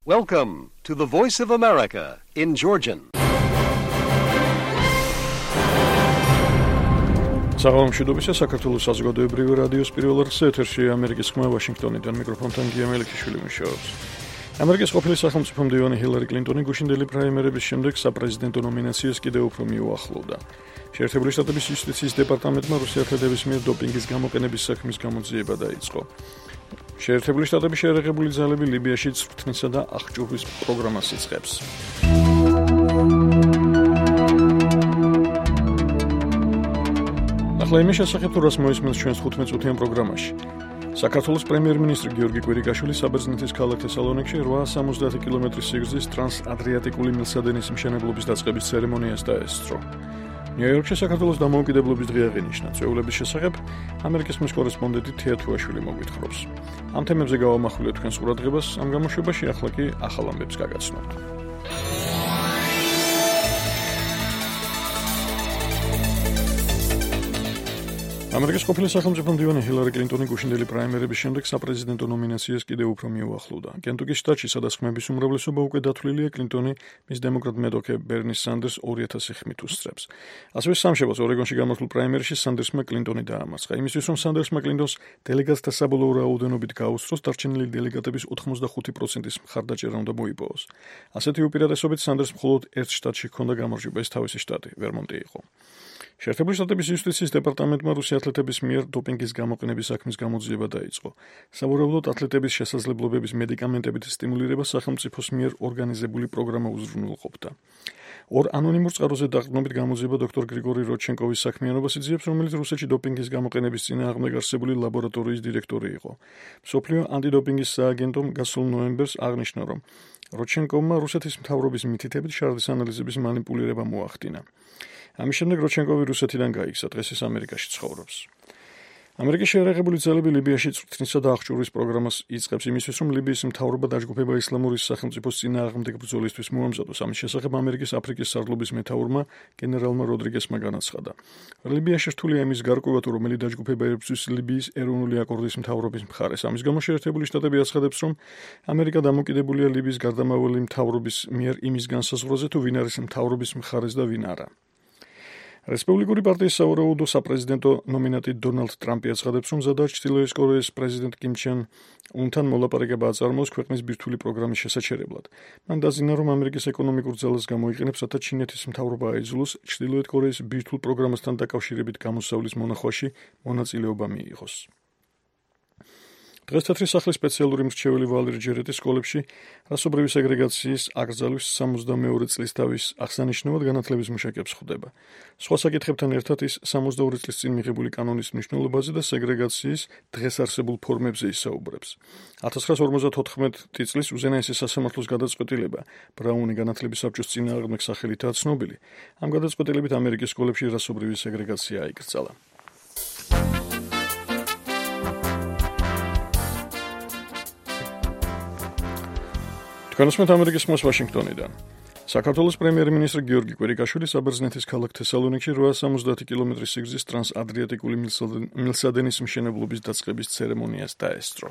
Welcome to the Voice of America in Georgian. საღამომშვიდობისა საქართველოს საზოგადოებრივი რადიოს პირველ რიგში ეთერშია ამერიკის ხმა ვაშინგტონიდან მიკროფონთან გიამელიქიშვილი მუშაობს. ამერიკის ყოფილი სახელმწიფო მდივანი ჰილარი კლინტონი გუშინდელი პრაიმერების შემდეგ საპრეზიდენტო ნომინაციას კიდევ უფრო მიუახლოვდა. შეერთებული შტატების იუსტიციის დეპარტამენტმა რუსეთის მიერ დოპინგის გამოყენების საქმის გამოძიება დაიწყო. შეერთებული შტატების შეერაღებული ძალები ლიბიაში წვრთნისა და აღჭურვის პროგრამას იწყებს. ახლა იმის შესახებ თუ რას მოისმენს ჩვენს 15-წუთიან პროგრამაში. საქართველოს პრემიერ-მინისტრი გიორგი კვირიკაშვილი საბერძნეთის ქალაქ თესალონიკში 870 კილომეტრის სიგრძის ტრანსადრიატიკული მილსადენის მშენებლობის დაწყების ცერემონიას დაესწრო. ნიუ-იორკში საქართველოს დამოუკიდებლობის დღე აღინიშნა. წვეულების შესახებ ამერიკის ხმის კორესპონდენტი თეა თუაშვილი მოგვითხრობს. ამ თემებზე გავამახვილეთ თქვენს ყურადღებას, ამ გამოშვებაში ახლა კი ახალ ამბებს გაგაცნობთ. ამერიკის ყოფილი სახელმწიფო მდივანი ჰილარი კლინტონი გუშინდელი პრაიმერების შემდეგ საპრეზიდენტო ნომინაციას კიდევ უფრო მიუახლოვდა. კენტუკის შტატში, სადაც ხმების უმრავლესობა უკვე დათვლილია, კლინტონი მის დემოკრატ მეტოქე ბერნი სანდერს 2000 ხმით უსწრებს. ასევე სამშაბათს ორეგონში გამართულ პრაიმერში სანდერსმა კლინტონი დაამარცხა. იმისთვის, რომ სანდერსმა კლინტონს დელეგატთა საბოლოო რაოდენობით გაუსწროს, დარჩენილი დელეგატების 85%-ის მხარდაჭერა უნდა მოიპოვოს. ასეთი უპირატესობით სანდერს მხოლოდ ერთ შტატში ჰქონდა გამარჯვება, ეს თავისი შტატი, ვერმონტი იყო. შეერთებული შტატების იუსტიციის დეპარტამენტმა რუსი ათლეტების მიერ დოპინგის გამოყენების საქმის გამოძიება დაიწყო. სავარაუდოდ ათლეტების შესაძლებლობების მედიკამენტებით სტიმულირება სახელმწიფოს მიერ ორგანიზებული პროგრამა უზრუნველყოფდა. ორ ანონიმურ წყაროზე დაყრდნობით გამოძიება დოქტორ გრიგორი როდჩენკოვის საქმიანობას იძიებს, რომელიც რუსეთში დოპინგის გამოყენების წინააღმდეგ არსებული ლაბორატორიის დირექტორი იყო. მსოფლიო ანტიდოპინგის სააგენტომ გასულ ნოემბერს აღნიშნა, რომ როდჩენკოვმა რუსეთის მთავრობის მითითებით შარდის ანალიზების მანიპულირება მოახდინა. ამის შემდეგ როდჩენკოვი რუსეთიდან გაიქცა, დღეს ის ამერიკაში ცხოვრობს. ამერიკის შეერაღებული ძალები ლიბიაში წვრთნისა და აღჭურვის პროგრამას იწყებს იმისთვის, რომ ლიბიის მთავრობა დაჯგუფება ისლამური სახელმწიფოს წინააღმდეგ ბრძოლისთვის მოამზადოს. ამის შესახებ ამერიკის აფრიკის სარდლობის მეთაურმა გენერალმა როდრიგესმა განაცხადა. ლიბიაში რთულია იმის გარკვევა, თუ რომელი დაჯგუფება ებრძვის ლიბიის ეროვნული აკორდის მთავრობის მხარეს. ამის გამო შეერთებული შტატები აცხადებს, რომ ამერიკა დამოკიდებულია ლიბიის გარდამავალი მთავრობის მიერ იმის განსაზღვრაზე, თუ ვინ არის მთავრობის მხარეს და ვინ არა. რესპუბლიკური პარტიის სავარაუდო საპრეზიდენტო ნომინანტი დონალდ ტრამპი აცხადებს, რომ ზადაა ჩრდილოეთ კორეის პრეზიდენტ კიმ ჩენ უნთან მოლაპარაკება აწარმოოს ქვეყნის ბირთვული პროგრამის შესაჩერებლად. მან დაზიანა, რომ ამერიკის ეკონომიკურ ძალას გამოიყენებს, რათა ჩინეთის მთავრობა აიძულოს ჩრდილოეთ კორეის ბირთვულ პროგრამასთან დაკავშირებით გამოსავლის მონახვაში მონაწილეობა მიიღოს. დღეს თეთრი სახლის სპეციალური მრჩეველი ვალერი ჯერეტი სკოლებში რასობრივი სეგრეგაციის აკრძალვის 62 წლის დავის აღსანიშნავად განათლების მუშაკებს ხვდება. სხვა საკითხებთან ერთად ის 62 წლის წინ მიღებული კანონის მნიშვნელობაზე და სეგრეგაციის დღეს არსებულ ფორმებზე ისაუბრებს. 1954 წლის უზენაესი სასამართლოს გადაწყვეტილება ბრაუნი განათლების საბჭოს წინააღმდეგ სახელითაა ცნობილი. ამ გადაწყვეტილებით ამერიკის სკოლებში რასობრივი სეგრეგაცია აიკრძალა. განსმეთ ამერიკის ხმას ვაშინგტონიდან. საქართველოს პრემიერ-მინისტრი გიორგი კვირიკაშვილი საბერძნეთის ქალაქ თესალონიკში 870 კილომეტრის სიგრძის ტრანსადრიატიკული მილსადენის მშენებლობის დაწყების ცერემონიას დაესწრო.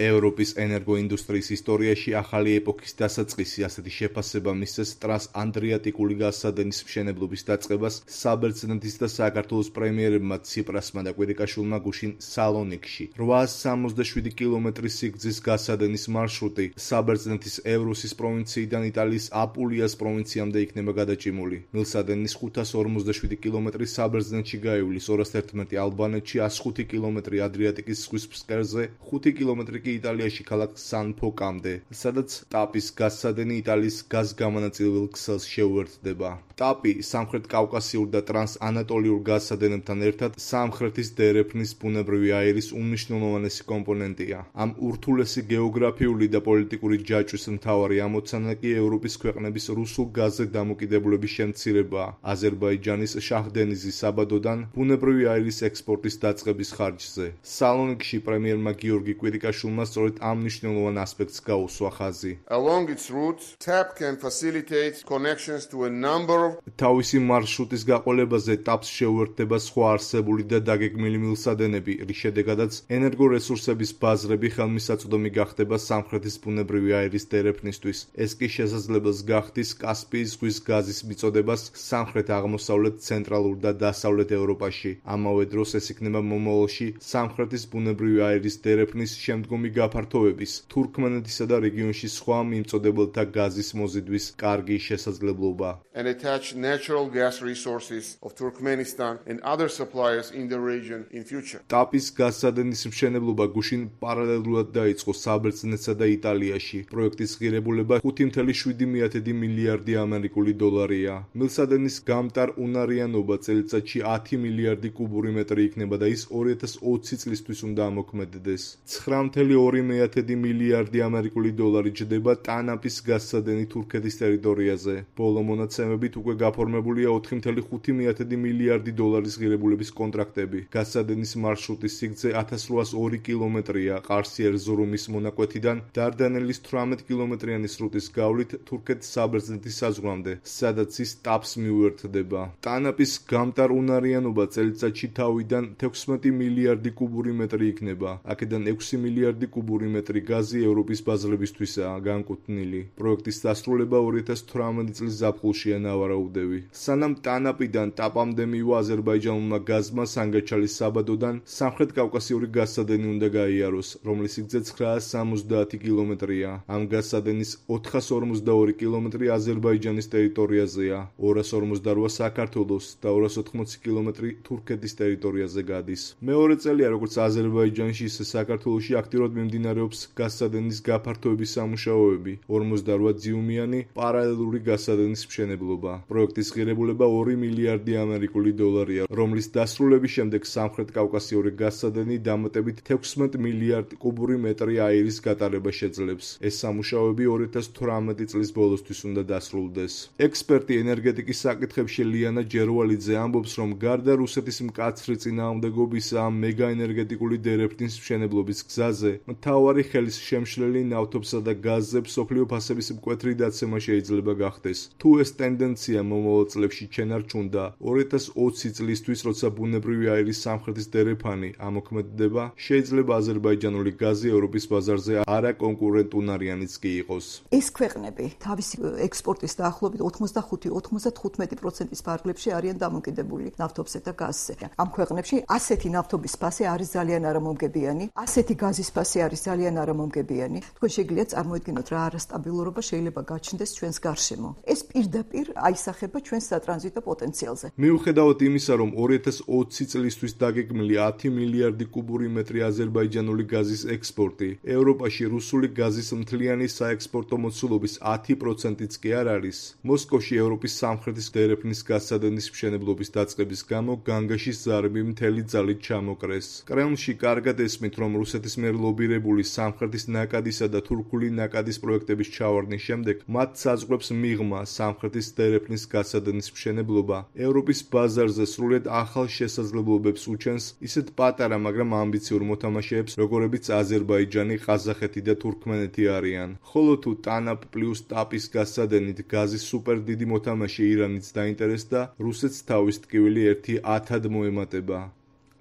ევროპის ენერგოინდუსტრიის ისტორიაში ახალი ეპოქის დასაწყისი ასეთი შეფასება მისცეს ტრანსადრიატიკული გაზსადენის მშენებლობის დაწყებას საბერძნეთის და საქართველოს პრემიერებმა ციპრასმა და კვირიკაშვილმა გუშინ სალონიკში. 867 კილომეტრის სიგრძის გაზსადენის მარშრუტი საბერძნეთის ევროსის პროვინციიდან იტალიის აპულიას პროვინციამდე იქნება გადაჭიმული. მილსადენის 547 კილომეტრი საბერძნეთში გაივლის, 211 ალბანეთში, 105 კილომეტრი ადრიატიკის ზღვის ფსკერზე, 5 კილომეტრი კი იტალიაში ქალაქ სან-ფოკამდე, სადაც ტაპის გაზსადენი იტალიის გაზგამანაწილებელ ქსელს შეუერთდება. ტაპი სამხრეთ კავკასიურ და ტრანსანატოლიურ გაზსადენებთან ერთად სამხრეთის დერეფნის ბუნებრივი აირის უმნიშვნელოვანესი კომპონენტია. ამ ურთულესი გეოგრაფიული და პოლიტიკური ჯაჭვის მთავარი ამოცანა კი ევროპის ქვეყნების რუსულ გაზზე დამოკიდებულების შემცირებაა. აზერბაიჯანის შაჰდენიზის საბადოდან ბუნებრივი აირის ექსპორტის დაწყების ხარჯზე. სალონიკში პრემიერმა გიორგი კვირიკაშვილმა სააგენტოშვილმა სწორედ ამ მნიშვნელოვან ასპექტს გაუსვა ხაზი. Along its route, TAP can facilitate connections to a number of თავისი მარშრუტის გაყოლებაზე TAP-ს შეუერთდება სხვა არსებული და დაგეგმილი მილსადენები, რის შედეგადაც ენერგორესურსების ბაზრები ხელმისაწვდომი გახდება სამხრეთის ბუნებრივი აირის დერეფნისთვის. ეს კი შესაძლებელს გახდის კასპიის ზღვის გაზის მიწოდებას სამხრეთ-აღმოსავლეთ, ცენტრალურ და დასავლეთ ევროპაში. ამავე დროს ეს იქნება მომავალში სამხრეთის ბუნებრივი აირის დერეფნის შემდგომი გაფართოების, თურქმენეთისა და რეგიონში სხვა მიმწოდებელთა გაზის მოზიდვის კარგი შესაძლებლობა. and attach natural gas resources of Turkmenistan and other suppliers in the region in future. TAP-ის გაზსადენის მშენებლობა გუშინ პარალელურად დაიწყო საბერძნეთსა და იტალიაში. პროექტის ღირებულება 5.7 მილიარდი ამერიკული დოლარია. მილსადენის გამტარ უნარიანობა წელიწადში 10 მილიარდი კუბური მეტრი იქნება და ის 2020 წლისთვის უნდა ამოქმედდეს. 9.2 მილიარდი ამერიკული დოლარი ჯდება ტანაპის გაზსადენი თურქეთის ტერიტორიაზე. ბოლო მონაცემებით უკვე გაფორმებულია 4.5 მილიარდი დოლარის ღირებულების კონტრაქტები. გაზსადენის მარშრუტის სიგრძე 1802 კილომეტრია ყარსი-ერზურუმის მონაკვეთიდან დარდანელის 18 კილომეტრიანი სრუტის გავლით თურქეთ-საბერძნეთის საზღვრამდე, სადაც ის TAP-ს მიუერთდება. ტანაპის გამტარ უნარიანობა წელიწადში თავიდან 16 მილიარდი კუბური მეტრი იქნება. აქედან 6 მილიარდი კუბური მეტრი გაზი ევროპის ბაზრებისთვისაა განკუთვნილი. პროექტის დასრულება 2018 წლის ზაფხულშია ნავარაუდევი. სანამ ტანაპიდან TAP-მდე მივა აზერბაიჯანულმა გაზმა სანგაჩალის საბადოდან სამხრეთ კავკასიური გაზსადენი უნდა გაიაროს, რომლის სიგრძე 970 კილომეტრია. ამ გაზსადენის 452 კილომეტრი აზერბაიჯანის ტერიტორიაზეა, 248 საქართველოს და 280 კილომეტრი თურქეთის ტერიტორიაზე გადის. მეორე წელია, როგორც აზერბაიჯანში, ისე საქართველოში აქტიურად მიმდინარეობს გაზსადენის გაფართოების სამუშაოები, 48 ძიუმიანი პარალელური გაზსადენის მშენებლობა. პროექტის ღირებულება 2 მილიარდი ამერიკული დოლარია, რომლის დასრულების შემდეგ სამხრეთ კავკასიური გაზსადენი დამატებით 16 მილიარდ კუბური მეტრი აირის გატარება შეძლებს. ეს სამუშაოები 2018 წლის ბოლოსთვის უნდა დასრულდეს. ექსპერტი ენერგეტიკის საკითხებში ლიანა ჯერვალიძე ამბობს, რომ გარდა რუსეთის მკაცრი წინააღმდეგობისა ამ მეგაენერგეტიკული დერეფნის მშენებლობის გზაზე, მთავარი ხელის შემშლელი ნავთობსა და გაზზე მსოფლიო ფასების მკვეთრი დაცემა შეიძლება გახდეს. თუ ეს ტენდენცია მომავალ წლებში ჩენარჩუნდა, 2020 წლისთვის, როცა ბუნებრივი აირის სამხრეთის დერეფანი ამოქმედდება, შეიძლება აზერბაიჯანული გაზი ევროპის ბაზარზე არაკონკურენტუნარიანიც კი იყოს. ეს ქვეყნები თავისი ექსპორტის დაახლოებით 85-95%-ის ფარგლებში არიან დამოკიდებული ნავთობზე და გაზზე. ამ ქვეყნებში ასეთი ნავთობის ფასი არის ძალიან არამომგებიანი, ასეთი გაზის ფასი არის ძალიან არამომგებიანი. თქვენ შეგიძლიათ წარმოიდგინოთ რა არასტაბილურობა შეიძლება გაჩნდეს ჩვენს გარშემო. ეს პირდაპირ აისახება ჩვენს სატრანზიტო პოტენციალზე. მიუხედავად იმისა, რომ 2020 წლისთვის დაგეგმილი 10 მილიარდი კუბური მეტრი აზერბაიჯანული გაზის ექსპორტი, ევროპაში რუსული გაზის მთლიანი საექსპორტო მოცულობის 10%-იც კი არ არის. მოსკოვში ევროპის სამხრეთის დერეფნის გაზსადენის მშენებლობის დაწყების გამო განგაშის ზარები მთელი ძალით ჩამოკრეს. კრემლში კარგად ესმით, რომ რუსეთის მიერ ლობირებული სამხრეთის ნაკადისა და თურქული ნაკადის პროექტების ჩავარდნის შემდეგ მათ საზღვრებს მიღმა სამხრეთის დერეფნის გაზსადენის მშენებლობა ევროპის ბაზარზე სრულიად ახალ შესაძლებლობებს უჩენს ისეთ პატარა, მაგრამ ამბიციურ მოთამაშეებს, როგორებიც აზერბაიჯანი, ყაზახეთი და თურქმენეთი არიან. ხოლო თუ TANAP პლუს TAP-ის გაზსადენით გაზის სუპერ დიდი მოთამაშე ირანიც დაინტერესდა, რუსეთს თავის ტკივილი 1-10-ად მოემატება.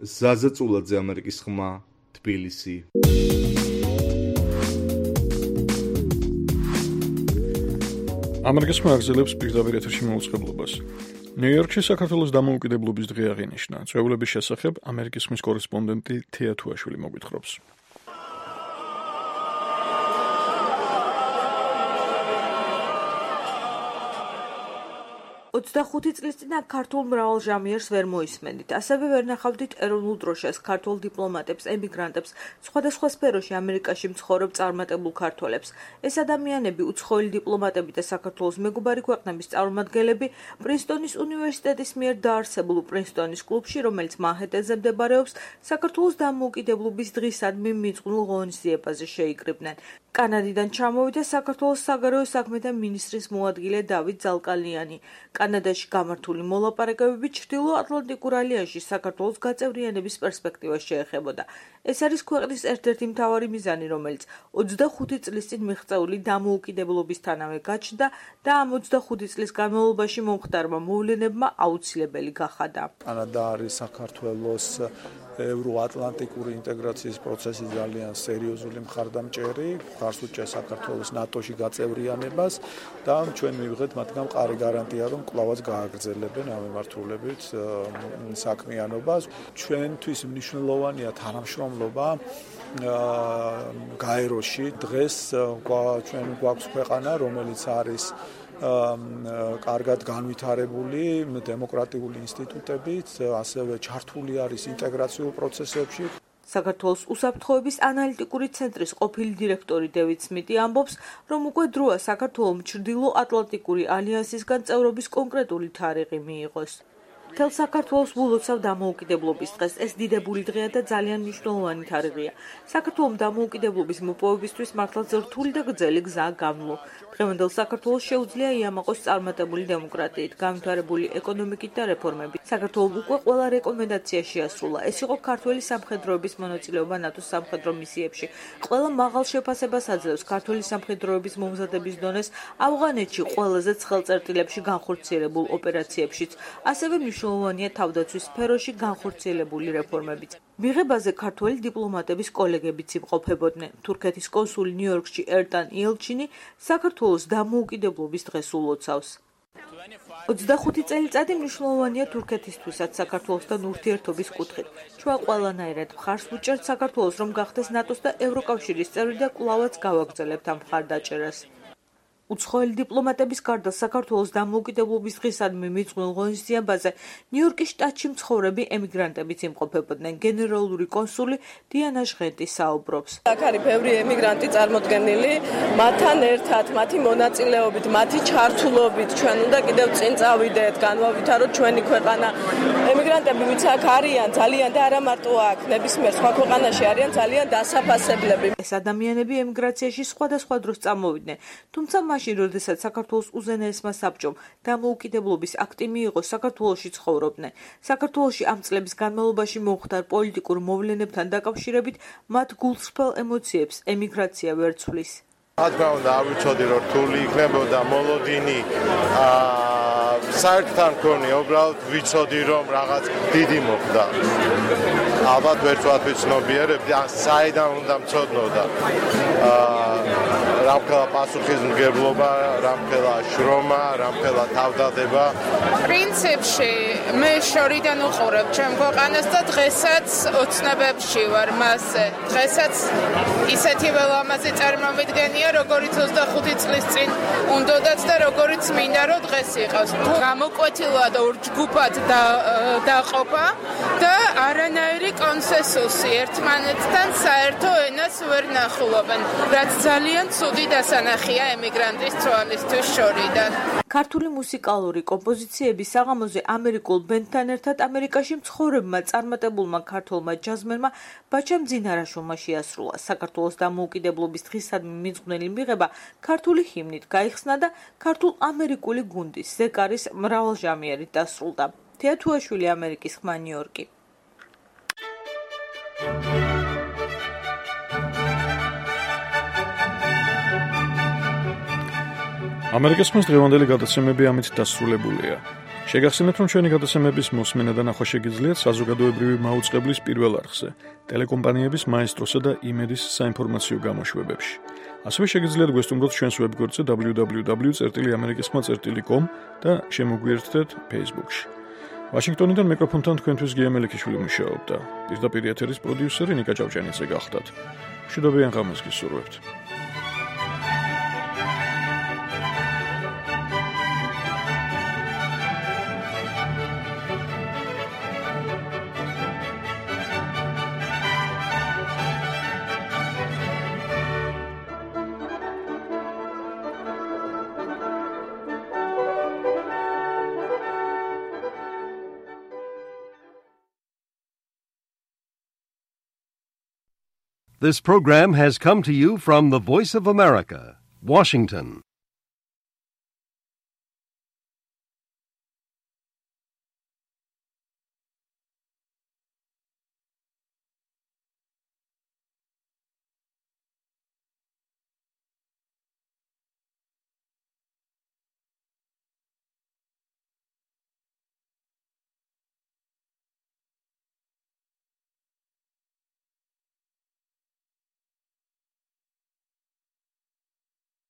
ზაზა წულაძე, ამერიკის ხმა, თბილისი. ამერიკის ხმა აგზელებს პირდაპირ ეთერში მოუწყებლობას. ნიუ-იორკში საქართველოს დამოუკიდებლობის დღე აღინიშნა. წვეულების შესახებ ამერიკის ხმის კორესპონდენტი თეა თუაშვილი მოგვითხრობს. 25 წლის წინ ქართულ მრავალ ჟამიერს ვერ მოისმენდით. ასევე ვერ ნახავდით ეროვნულ დროშას, ქართულ დიპლომატებს, ემიგრანტებს, სხვადასხვა სფეროში ამერიკაში მცხოვრებ წარმატებულ ქართველებს. ეს ადამიანები, უცხოელი დიპლომატები და საქართველოს მეგობარი ქვეყნების წარმომადგენლები პრინსტონის უნივერსიტეტის მიერ დაარსებულ პრინსტონის კლუბში, რომელიც მანჰეტენზე მდებარეობს, საქართველოს დამოუკიდებლობის დღისადმი მიძღვნილ ღონისძიებაზე შეიკრიბნენ. კანადიდან ჩამოვიდა საქართველოს საგარეო საქმეთა მინისტრის მოადგილე დავით ზალკალიანი. კანადაში გამართული მოლაპარაკებები ჩრდილო-ატლანტიკურ ალიანსში საქართველოს გაწევრიანების პერსპექტივას შეეხებოდა. ეს არის ქვეყნის ერთ-ერთი მთავარი მიზანი, რომელიც 25 წლის წინ მიღწეული დამოუკიდებლობისთანავე გაჩნდა და ამ 25 წლის განმავლობაში მომხდარმა მოვლენებმა აუცილებელი გახადა. კანადა არის საქართველოს ევროატლანტიკური ინტეგრაციის პროცესის ძალიან სერიოზული მხარდამჭერი, მხარს უჭერს საქართველოს ნატოში გაწევრიანებას და ჩვენ მივიღეთ მათგან მყარი გარანტია, რომ კვლავაც გააგრძელებენ ამ მიმართულებით საქმიანობას. ჩვენთვის მნიშვნელოვანია თანამშრომლობა გაეროში. დღეს ჩვენ გვაქვს ქვეყანა, რომელიც არის კარგად განვითარებული დემოკრატიული ინსტიტუტებით, ასევე ჩართული არის ინტეგრაციულ პროცესებში. საქართველოს უსაფრთხოების ანალიტიკური ცენტრის ყოფილი დირექტორი დევიდ სმიტი ამბობს, რომ უკვე დროა საქართველოს ჩრდილო-ატლანტიკური ალიანსისგან წევრობის კონკრეტული თარიღი მიიღოს. მთელ საქართველოს ულოცავ დამოუკიდებლობის დღეს ეს დიდებული დღეა და ძალიან მნიშვნელოვანი თარიღია. საქართველოს დამოუკიდებლობის მოპოვებისთვის მართლაც რთული და გრძელი გზაა გამლო. დღევანდელ საქართველოს შეუძლია იამაყოს წარმატებული დემოკრატიით, განვითარებული ეკონომიკით და რეფორმებით. საქართველოს უკვე ყველა რეკომენდაცია შეასრულა. ეს იყო ქართველი სამხედროების მონაწილეობა ნატოს სამხედრო მისიებში. ყველა მაღალ შეფასებას აძლევს ქართველი სამხედროების მომზადების დონეს ავღანეთში ყველაზე ცხელ წერტილებში განხორციელებულ ოპერაციებშიც. ასევე მნიშვნელოვანია თავდაცვის სფეროში განხორციელებული რეფორმებიც. მიღებაზე ქართველი დიპლომატების კოლეგებიც იმყოფებოდნენ. თურქეთის კონსული ნიუ-იორკში ერტან იელჩინი საქართველოს დამოუკიდებლობის დღეს ულოცავს. 25 წელიწადი მნიშვნელოვანია თურქეთისთვისაც საქართველოსთან ურთიერთობის კუთხით. ჩვენ ყველანაირად მხარს ვუჭერთ საქართველოს, რომ გახდეს ნატოს და ევროკავშირის წევრი და კვლავაც გავაგრძელებთ ამ მხარდაჭერას. უცხოელი დიპლომატების გარდა საქართველოს დამოუკიდებლობის დღისადმი მიძღვნილ ღონისძიებაზე ნიუ-იორკის შტატში მცხოვრები ემიგრანტებიც იმყოფებოდნენ. გენერალური კონსული დიანა ჟღენტი საუბრობს. აქ არის ბევრი ემიგრანტი წარმოდგენილი, მათთან ერთად, მათი მონაწილეობით, მათი ჩართულობით ჩვენ უნდა კიდევ წინ წავიდეთ, განვავითაროთ ჩვენი ქვეყანა. ემიგრანტები ვინც აქ არიან, ძალიან და არა მარტო აქ, ნებისმიერ სხვა ქვეყანაში არიან ძალიან დასაფასებლები. ეს ადამიანები ემიგრაციაში სხვადასხვა დროს წამოვიდნენ, თუმცა მაშინ, როდესაც საქართველოს უზენაესმა საბჭომ დამოუკიდებლობის აქტი მიიღო, საქართველოში ცხოვრობდნენ. საქართველოში ამ წლების განმავლობაში მომხდარ პოლიტიკურ მოვლენებთან დაკავშირებით მათ გულსრფელ ემოციებს ემიგრაცია ვერ ცვლის. რა უნდა ავიცოდი, რომ რთული იქნებოდა მოლოდინი საერთთან ქონი, უბრალოდ ვიცოდი, რომ რაღაც დიდი მოხდა. ალბათ ვერცვათ ვიცნობიერებდი, საიდან უნდა მცოდნოდა. რამხელა პასუხისმგებლობა, რამხელა შრომა, რამხელა თავდადება. პრინციპში მე შორიდან უყურებ ჩემ ქვეყანას და დღესაც ოცნებებში ვარ მასზე. დღესაც ისეთივე ლამაზი წარმომიდგენია, როგორიც 25 წლის წინ უნდოდათ და როგორიც მინდა რომ დღეს იყავს. გამოკვეთილად ორ ჯგუფად დაყოფა და არანაირი კონსენსუსი ერთმანეთთან საერთო ენას ვერ ნახულობენ, რაც ძალიან ცუდი დასანახია ემიგრანტის თვალისთვის შორიდან. ქართული მუსიკალური კომპოზიციები საღამოზე ამერიკულ ბენდთან ერთად ამერიკაში მცხოვრებმა წარმატებულმა ქართველმა ჯაზმენმა ბაჩამ ძინარაშვილმა შეასრულა. საქართველოს დამოუკიდებლობის დღისადმი მიძღვნილი მიღება ქართული ჰიმნით გაიხსნა და ქართულ-ამერიკული გუნდის ზეკარის მრავალჟამიერით დასრულდა. თეა თუაშვილი, ამერიკის ხმა, ნიუ-იორკი. ამერიკის ხმის დღევანდელი გადაცემები ამით დასრულებულია. შეგახსენებთ, რომ ჩვენი გადაცემების მოსმენა და ნახვა შეგიძლიათ საზოგადოებრივი მაუწყებლის პირველ არხზე, ტელეკომპანიების მაესტროსა და იმედის საინფორმაციო გამოშვებებში. ასევე შეგიძლიათ გვესტუმროთ ჩვენს ვებგვერდზე www.amerikiskhma.com და შემოგვიერთდეთ Facebook-ში. ვაშინგტონიდან მიკროფონთან თქვენთვის გია მელიქიშვილი მუშაობდა. პირდაპირ ეთერის პროდიუსერი ნიკა ჭავჭანიძე გახდათ. მშვიდობიან ღამეს გისურვებთ. This program has come to you from the Voice of America, Washington.